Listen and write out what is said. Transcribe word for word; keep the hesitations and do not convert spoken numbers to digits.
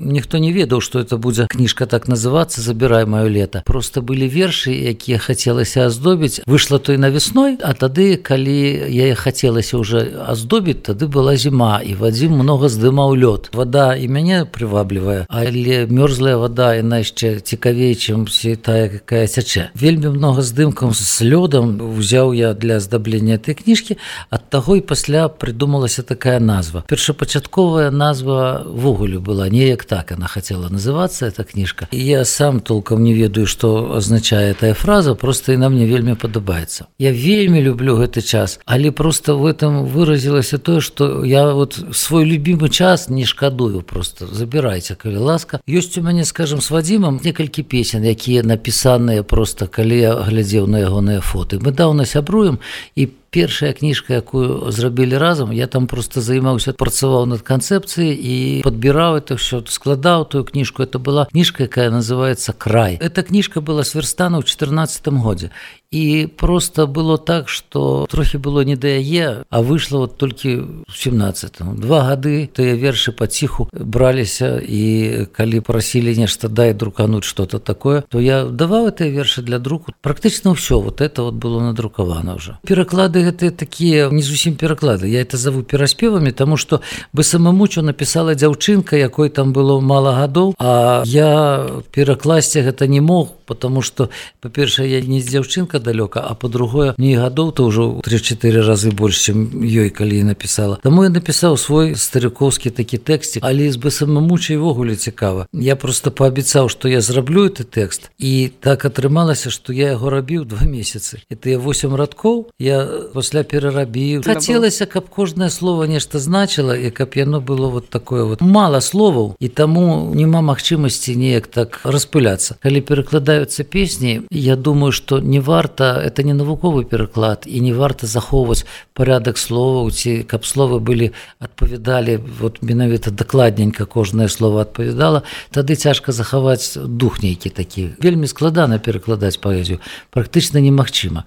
ніхто не ведаў, што это будзе кніжка так называцца «Забірай маё лета». Просто былі вершы, якія хацелася аздобіць. Выйшла той навесной, а тады, калі яе хацелася ўжо аздобіць, тады была зіма, і Вадзім многа здымаў лёд. Вада і мяне прываблівае, але мёрзлая вада яна яшчэ цікавей, чым тая, якая цячэ. Вельмі многа здымкаў з лёдам узяў я для аздаблення этой кніжкі, ад таго і пасля прыдумалася такая назва. Першапачатковая назва ввогуле была неяк так, яна хацела называцца, эта кніжка. І я сам толком не ведаю, што азначае тая фраза, просто яна мне вельмі падабаецца. Я вельмі люблю гэты час, але просто в этом выразілася тое, што я вот свой любімы час не шкадую, просто забірайце, калі ласка. Ёсць у мяне, скажем, з Вадзімам некалькі песен, якія напісаныя просто, калі я глядзеў на ягоныя фоты. Мы даўна сябруем, і першая кніжка, якую зрабілі разам, я там просто займаўся, працаваў над канцэпцыяй і падбіраў это ўсё, складаў тую кніжку. Это была кніжка, якая называецца «Край». Эта кніжка была сверстана ў чатырнаццатым годзе. І просто было так, што трохі было не да яе, а выйшла вот толькі ў сямнаццатым. Два гады тыя вершы паціху браліся, і калі прасілі нешта дай друкануць что-то такое, то я даваў гэтыя вершы для друку. Практычна ўсё вот это вот было надрукавана ўжо. Пераклады гэтыя такія не зусім пераклады. Я это заву пераспевамі, таму што БСМ-мучу напісала дзяўчынка, якой там было мала гадоў, а я перакласці гэта не мог, потому што, па-першае, я не дзяўчынка далёка, а па-другое, мне гадоў-то ўжо тры-чатыры разы больш, чым ёй, калі я напісала. Таму я напісаў свой старыкоўскі такі тэксцік, але з БСМ-мучай ввогуле цікава. Я просто паабяцаў, што я зраблю гэты тэкст, і так атрымалася, што я яго рабіў два месяцы. І тыя восем радкоў я пасля перарабіў. Хацелася, каб кожнае слово нешта значыла, і каб яно было вот такое вот. Мала словаў, і таму няма магчымасці неяк так распыляцца. Калі перакладаюцца песні, я думаю, што не варта, это не навуковы пераклад, і не варта захоўваць парядак словаў, ці каб словы былі адпавядалі, вот менавіта дакладненька кожнае слово адпавядала, тады цяжка захаваць дух нейкі такі. Вельмі складана перакладаць паэзію, практычна немагчыма.